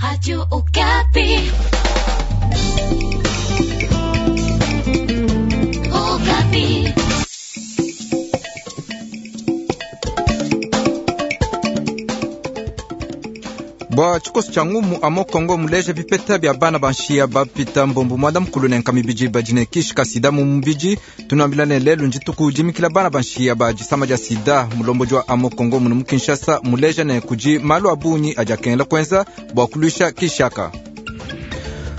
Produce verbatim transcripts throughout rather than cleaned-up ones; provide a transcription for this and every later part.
Radio Okapi. Okapi. Bua tshikoso tshia ngumu amo Kongo muleja bipeta bia bana ba nshiya bapita mbombu mwanda mukulu ne nkama ibidi badi ne kishi ka sida mu mubidi. Tunuambila ne lelu ndituku dimikila bana ba nshiya ba disama dia sida. Mulombodi wa amo Kongo munu mu Kinshasa muleja ne kudi malu a bungi adi akengela kuenza bua kuluisha kishi aka.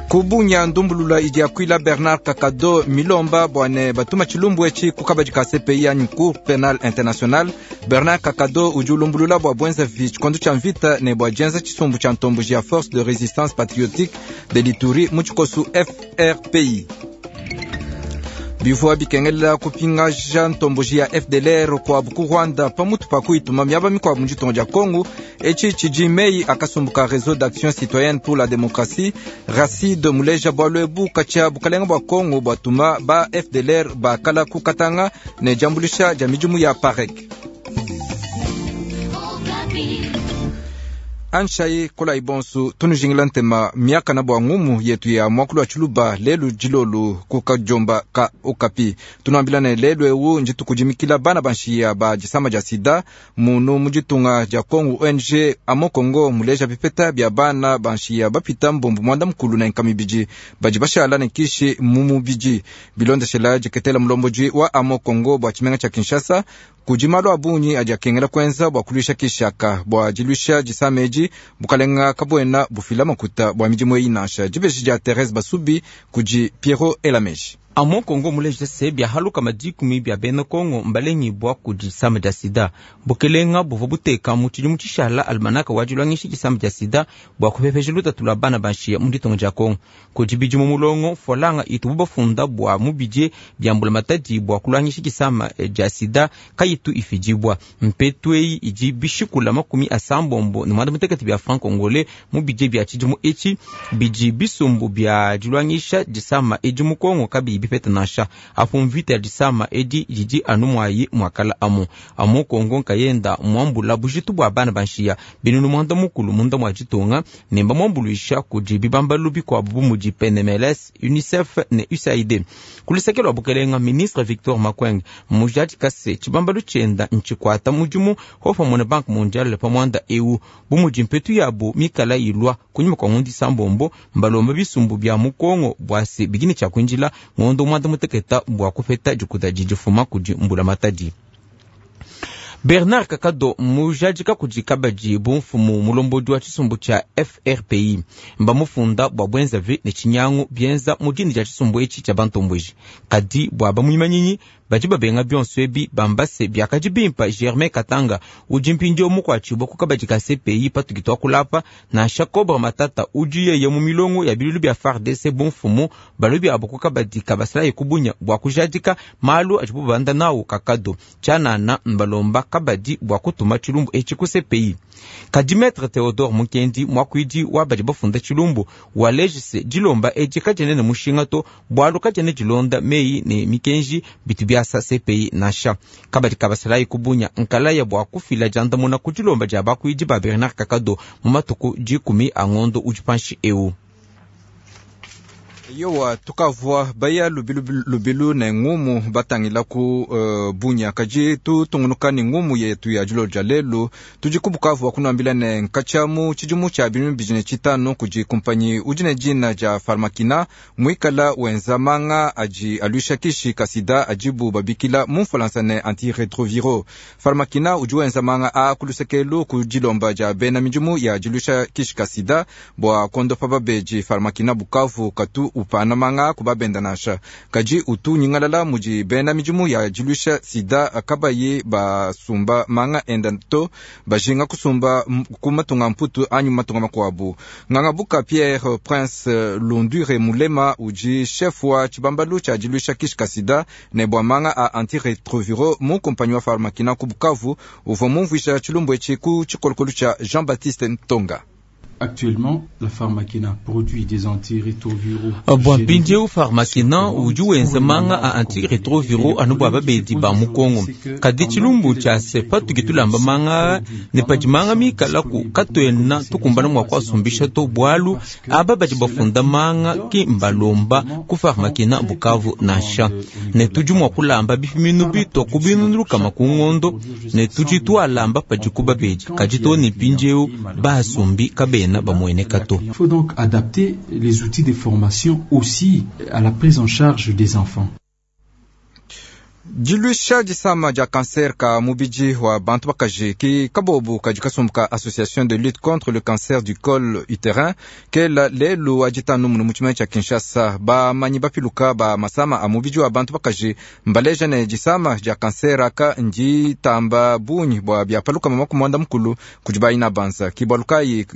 Kubunya ndumbulula idi yakuila Bernard Kakado milomba bua ne batuma tshilumbu etshi ku kabadi ka C P I anyi Cour Penale Internationale. Bernard Kakado udi ulumbulula bua buenzavi tshikondo tshia mvita ne bua dienza tshisumbu tshia ntomboji ya Force de Resistance Patriotique de l'Ituri mu tshikosu F R P I. Bivua bikengelela kupingaja ntomboji ya F D L R kuabu ku Rwanda pamutu pa kuyituma miaba mikuabu mu ditunga dia Kongo. Etshi tshidi meyi akasumbuka Réseau d'Action Citoyenne pour la Démocratie Racide muleja bualu ebu katshia bukalenga bua Kongo buatuma ba F D L R bakala ku Katanga ne diambuluisha dia midimu ya PAREC. Anshai kola ibonsu tunujingila ntema miaka na bua ngumu yetu ya mwakulu wa tshiluba lelu dilolu ku kajomba ka Okapi. Tunuambila ne lelu ewu nditukudimikila bana ba nshiya ba disama dia sida munu mu ditunga dia Kongo O N G amo Kongo muleja bipeta bia bana ba nshiya bapita mbombu mwanda mukulu na nkama ibidi badi bashala ne kishi mu mubidi. Bilondeshela diketela mulombodi wa amo Kongo bua tshimenga tshia Kinshasa kudi malu a bungi adi akengela kuenza bua kuluisha kishaka bua diluisha disama edi bukalenga kabuena bufila makuta bua midimu eyi nansha. Dibeji dia Therese Basubi kudi Pierrot Elameji. Amo Kongo muleja se bia haluka madikumi bia bena Kongo mbalengi bua kudi disama dia sida. Bukelenga buvua buteka mu tshidimu tshishala almanaka wa dilwangisha disama dia sida bua kupepesha lutatu lua bana ba nshiya mu ditunga dia Kongo. Kudi bidimu mulongo folanga itubu bafunda bua mubidie bia mbulamatadi bua kulwangisha disama dia sida kayitu ifidibwa. Mpetu eyi idi bishikula makumi asambombo ne mwanda mutekete bia franc congolais mu bidie bia tshidimu etshi bidi bisumbu bia dilwangisha disama edi mu Kongo kabiyi bipeta nansha. Apo mvita ya disama edi didi anu mwayi mwakala amu. Amu Kongo nkayenda mwambula bujitu bua bana ba nshiya binunu mwanda mukulu munda mwa ditunga ne mbamwambuluisha kudi bibambalu bikuabu bu mudi P N M L S, UNICEF ne U S A I D. Kuluseke lua bukelenga ministre Victor Makwenge mujadi kase tshibambalu tshienda ntshikwata mudimu hopamwe na Banque Mondiale pa mwanda eu bu mudi mpetu yabu mikala ilwa kunyima kwa ngundi sambombo mbalomba bisumbu bia mu Kongo bua se bidini tshia kuinjila ngondo mwanda muteketa bua kupeta dikuta didifuma kudi mbula matadi. Bernard Kakado mujadika kudi kabadi bu mfumu mulombodi wa tshisumbu tshia F R P I mbamufunda bua buenzavi ne tshinyangu bienza mu dini dia tshisumbu etshi tshia bantomboji. Kadi bua bamuimanyinyi badi babenga bionso ebi bambase biakadi bimpa Germain Katanga udi mpindieu mukuatshibua ku kabadi ka C P I patuki tuakulapa nansha Cobra Matata udi yeye mu milongo ya bilulu bia F A R D C bu mfumu balobi abo ku kabadi ka basalayi kubunya bua kujadika malu adibu babanda nawu Kakado tshianana mbalomba kabadi bua kutuma tshilumbu etshi ku C P I. Kadi Maître Theodore Mukendi mwakuidi wa badi bafunda tshilumbu walejise dilomba edi kadiene ne mushinga to bualu kadiene dilonda meyi ne mikenji bitu biasa C P I nansha. Kabadi kabasalayi kubunya nkalaya bua kufila diandamuna ku dilomba dia bakuidi ba Bernard Kakado mu matuku dikumi a ngondo udi panshi eu. Yowa tukavua baya lubilu, lubilu ne ngumu batangila ku, uh, bunya kaji tutungunuka ne ngumu yetu ya dilo dia lelu tudi ku Bukavu kunuambila ne nkatshia mu tshidimu tshia binunu bibidi ne tshitanu kudi kumpanyi udi ne dina dia Pharmakina muikala wenza manga adi aluisha kishi ka sida adibu babikila mu Mfalansa ne antiretroviro. Pharmakina udi wenza manga a kulusekelu ku dilomba dia bena midimu ya diluisha kishi ka sida bua kondopa babeji. Pharmakina Bukavu katu upana manga kubabenda nansha kadi utu nyingalala mudi bena midimu ya diluisha sida kabayi basumba manga enda to bajinga kusumba ku matunga mputu anyi matunga makuabu. Ngangabuka Pierre Prince Lundure Mulema udi chef wa tshibambalu tshia diluisha kishi ka sida ne bua manga a antiretroviro mu kumpanyi wa Pharmakina ku Bukavu uvua mumvuisha tshilumbu etshi ku tshikolokolo tshia Jean-Baptiste Ntonga. Actuellement, la Pharmakina produit des antirétroviraux. Bua mpindieu Pharmakina udi wenza manga a antirétroviraux anu bua babedi ba mu Kongo. Kadi tshilumbu tshia se patudi tulamba manga ne padi manga mikalaku katuena tukumbana mua kuasumbisha to, bualu aba badi bafunda manga ki mbalomba ku Pharmakina Bukavu nansha. Ne tudi mua kulamba bipiminu bitua ku binunu lukama ku ngondo ne tudi tualamba padiku babedi. Kadi too ne mpindieu basumbi kabena bamueneka to. Il faut donc adapter les outils de formation aussi à la prise en charge des enfants. Diluisha disama dia cancer ka mubidi wa bantu bakaji ki kabobu kadi kasumbu ka association de lutte contre le cancer du col utérin kela lelu wa ditanu munu mu tshimenga tshia Kinshasa. Bamanyi bapiluka ba masama a mubidi wa bantu bakaji mbaleja ne disama dia cancer aka nditamba bungi bua biapaluka makumi muanda mukulu kudi bayina banza. Ki bualu kayi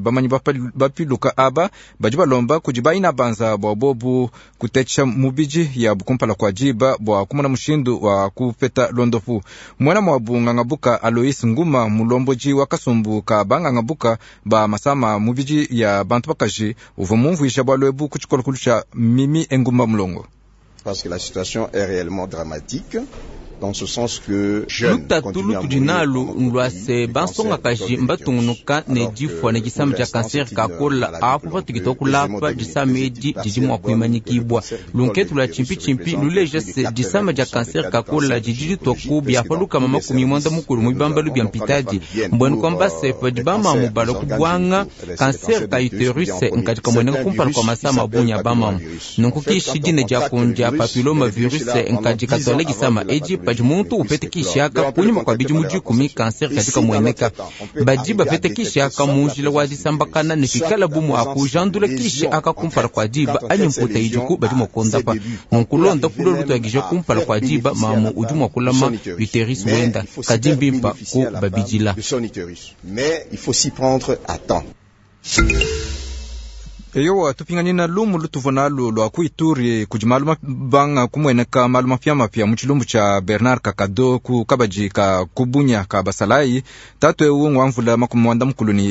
bamanyi bapiluka aba badi balomba kudi bayina banza bua bobu kutetesha mubidi yabu kumpala kua diba bua kumona mushindu wa kupeta londopu. Mwana mwabu ngangabuka Alois Nguma mulomboji wa kasumbu ka bangangabuka ba masama mubidi ya bantu bakaji uvua mumvuisha bualu ebu ku tshikolokolo tshia Mimi Engumba Mulongo. Parce que la situation est réellement dramatique. Dans ce sens que lutatu lutudi nalu lua se bansongakaji mbatungunuka ne difua ne disama dia kanser kakola apo patudi tuakulapa disama edi didi mua kuimanyikibua. Lunketu lua tshimpitshimpi luleja se disama dia kanser kakola didi ditua ku biapalukama makumi muanda mukulu mu bibambalu bia mpitadi. Mbuenu kuamba se padi bamamu balua kubuanga kanser ka uterus nkadi kamueneka kumpala kua masama a bungi a bamamu. Nunku kishi dina dia kundia papilloma virus nkadi katuala disama edi padi muntu upete kishi aka kunyima kua bidimu dikumi kanser kadi kamueneka. Badi bapete kishi aka mu njila wa disambakana ne pikala bumu akujandula kishi aka kumpala kua diba anyi mputa idiku badi mua kuondapa. Nunku londa kulo lutuakija kumpala kua diba mamu udi mua kulama uterus wenda kadi mbimpa ku babidila. Mais il faut s'y prendre à temps. Eyowa tupinganina lumu lutuvua nalu lua ku Ituri kudi malu mabanga kumueneka malu mapiamapia mu tshilumbu tshia Bernard Kakado ku kabadi ka kubunya ka basalayi. Tatu ewu ngwamvula makumi muanda mukulu ne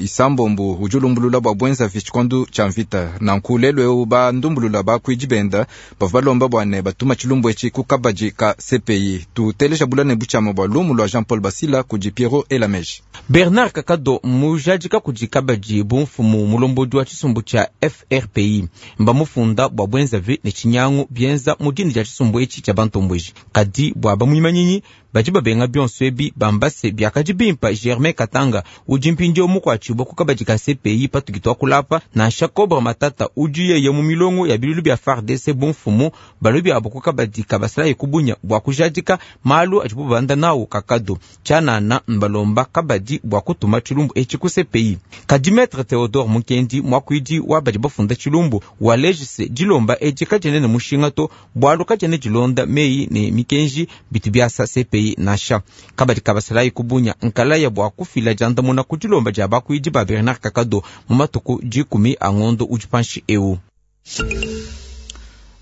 isambombu udi ulumbulula bua buenzavi tshikondu tshia mvita. Nanku lelu ewu bandumbulula bakuidi benda bavua balomba bua ne batuma tshilumbu etshi ku kabadi ka C P I. Tuteleja bula ne butshiama bua lumu lua Jean Paul Basila kudi Pierrot Elameji. Bernard Kakado mujadika kudi kabadi bumfumu mulombodi wa tshisumbu tshia F R P I mbamufunda bua buenzavi ne tshinyangu bienza mu dina dia tshisumbu etshi tshia bantomboji. Kadi bua bamuimanyinyi badi babenga bionso ebi bambase biakadi bimpa Germain Katanga udi mpindieu mukuatshibua ku kabadi ka C P I patudi tuakulapa nansha Cobra Matata udi yeye mu milongo ya bilulu bia F A R D C bumfumu balobi abo ku kabadi ka basalayi kubunya bua kujadika malu adibu babanda nawu Kakado tshianana mbalomba kabadi bua kutuma tshilumbu etshi ku C P I. Kadi Maître Theodore Mukendi muakuidi wa badi bafunda tshilumbu walejise dilomba edi kadiena ne mushinga to bualu kadiena dilonda meyi ne mikenji bitu biasa C P I nansha. Kabadi kabasalayi kubunya nkalaya bua kufila diandamuna ku dilomba dia bakuidi ba Bernard Kakado mu matuku dikumi a ngondo udi panshi eu.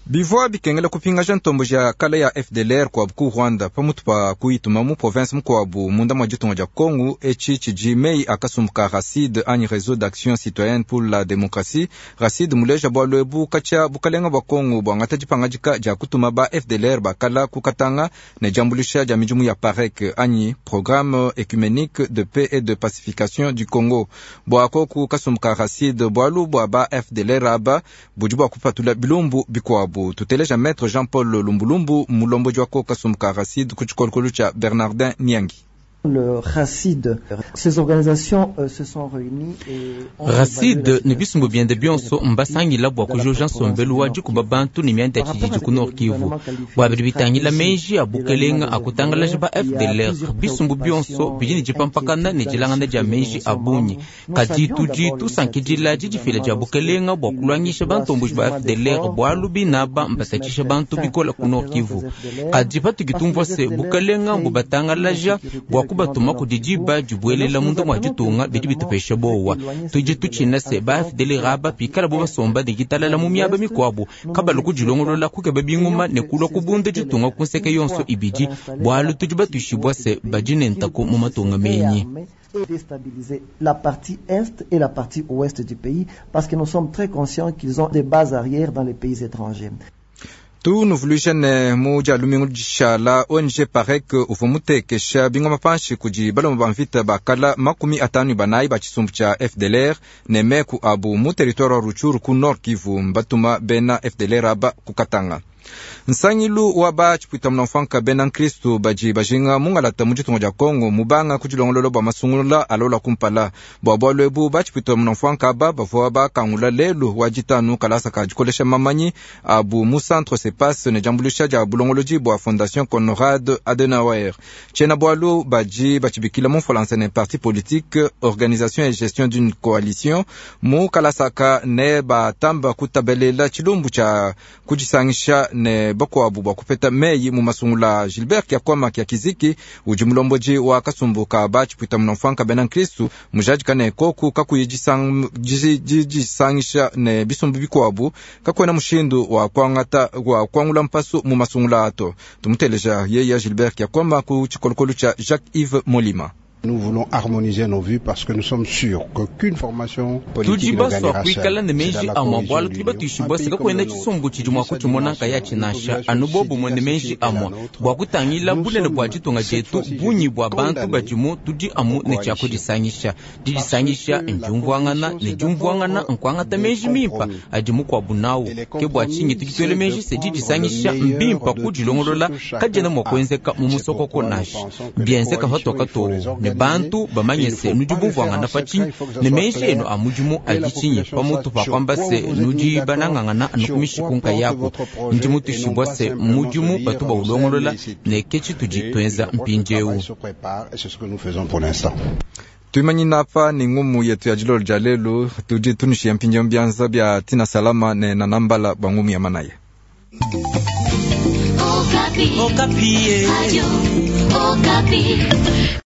Bivua bikengela kupingaja ntombo ya kala ya F D L R kwa ku Rwanda pamutu pa kuyituma mu province mukuabu munda mwa ditunga dia Kongo. Etshi tshidi mei akasumbuka RACID anyi Réseau d'action citoyenne pour la démocratie. RACID muleja bualu ebu katshia bukalenga bua Kongo buangata dipangadika dia kutuma ba F D L R bakala ku Katanga ne diambulisha dia midimu ya PAREC anyi Programme œcuménique de paix et de pacification du Congo. Bua koku kasumbuka RACID bualu bua ba F D L R aba budi bua kupatula bilumbu bikuabu. Tuteleja Maître Jean-Paul Lumbulumbu mulomboji wa kasumbuka RACID ku tshikolokolo tshia Bernardin Niangi. Le RACID, ces organisations euh, se sont réunies et ont RACID ne bisumbu biende bionso mbasangila bua kujoja nsombelu wa dikuba bantu ne mianda ya tshididi ku Nord Kivu. Bua bidi bitangila meji a bukelenga a kutangalaja ba F D L R, bisumbu bionso bidi ne dipampakana ne dilangana dia meji a bungi. Kadi tudi tusankidila didifila dia bukelenga bua kuluangisha bantomboji ba F D L R bualu binaba mbatatshisha bantu bikola ku Nord Kivu. Kadi patudi tumvua se bukelenga mbubatangalaja bua kubatuma kudi diba dibuelela munda mua ditunga bidi bitupesha bowa. Tudi tutshina se ba F D L R aba pikala bo basomba ne ditalala mu miaba mikuabu kabalu kudilongolola kukeba bingoma ne kulua kubunda ditunga ku nseke yonso ibidi, bualu tudi batuishibua se badi ne ntaku mu matunga menyi. Et déstabiliser la partie est et la partie ouest du pays parce que nous sommes très conscients qu'ils ont des bases arrière dans les pays étrangers. Tunuvuluisha ne mu dia lumingu dishala O N G PAREC uvua mutekesha bingoma panshi kudi balomba ba mvita bakala makumi atanu ne banayi ba tshisumbu tshia F D L R ne meku abu mu territoire wa Rutshuru ku Nord Kivu mbatuma bena F D L R aba kukatanga. Nsangilu wa ba tshipuita munamfanka bena Nkristu badi bajinga mungalata mu ditunga dia Kongo mubanga ku dilongolola bua masungula alola kumpala. Bua bualu ebu ba tshipuita munamfanka aba bavua bakangula lelu wa ditanu kalasa ka dikolesha mamanyi abu mu centre CEPAS ne diambuluisha dia bulongolodi bua Fondation Konrad Adenauer. Tshiena bualu badi batshibikila mu Mfualansa ne parti politique, organisation et gestion d'une coalition mu kalasaka ne batamba kutabelela tshilumbu tshia kudisangisha ne bakuabu bua kupeta meyi mu masungula. Gilbert Kiakwama kia Kiziki udi mulombodi wa kasumbu ka ba tshipuita munamfanka bena Nkristu mujadika ne koku kakuyi disang-, disi-, didisangisha ne bisumbu bikuabu kakuena mushindu wa kuangata, wa kuangula mpasu mu masungula ato. Tumuteleja yeye Gilbert Kiakwama ku tshikolokolo tshia Jacques-Yves Molima. Nous voulons harmoniser nos vues parce que nous sommes sûrs qu'aucune formation politique Tudi ne baswa gagnera kuikala seule. ne meji C'est dans la amwa cohésion bwalu de tudi l'Union. batuishibwa Un pays sika comme kwenda le nôtre, tshisumbu tshidi mua vu sa kutshimona dimension, nkaya tshinasha une population anu bobu si mwene meji diversifiée que la amwa nôtre, bua kutangila nous bunene sommes bua ditunga cette dietu fois-ci, je bunyi dis, bua bantu condamnés badimu tudi amu aux ne tshia coalitions. kudisangisha. Parce Didisangisha que la ndiumvuangana coalition, ne c'est diumvuangana d'abord nkuangata des meji mimpa compromis. adi mukuabu nawu. Et les Ke bua tshinyi compromis, tudi tuele c'est meji de se prendre le didisangisha meilleur mbimpa de tout ce kudilongolola que chacun kadiena mua a. kuenzeka mu C'est musokoko pourquoi nous nansha. pensons que les Bienzeka coalitions, patoka il faut to les ne organiser. bantu bamanye Il ne se faut nudi pas le faire bumvuangana en pa secret, tshinyi il faut que ça ne soit meji clair enu a mudimu que la adi tshinyi population pamutu sache pa sur kwamba quoi se vous êtes mis nudi d'accord, banangangana anu sur kumishiku quoi porte nkayaku. votre projet Ndi et non mutushibwa pas se simplement se mudimu dire batu on baulongolola s'aime et c'est tout. ne ke tshitudi Et je tuenza crois que le mpindiewu. travail se prépare et c'est ce que nous faisons pour l'instant. Tuimanyina apa ni ngumu yetu ya dilolo dia lelu tudi tunushiya mpindiewu bianza bia tina salama ne nanambala bua ngumu ya manaye. Okapi. Okapi. Radio Okapi.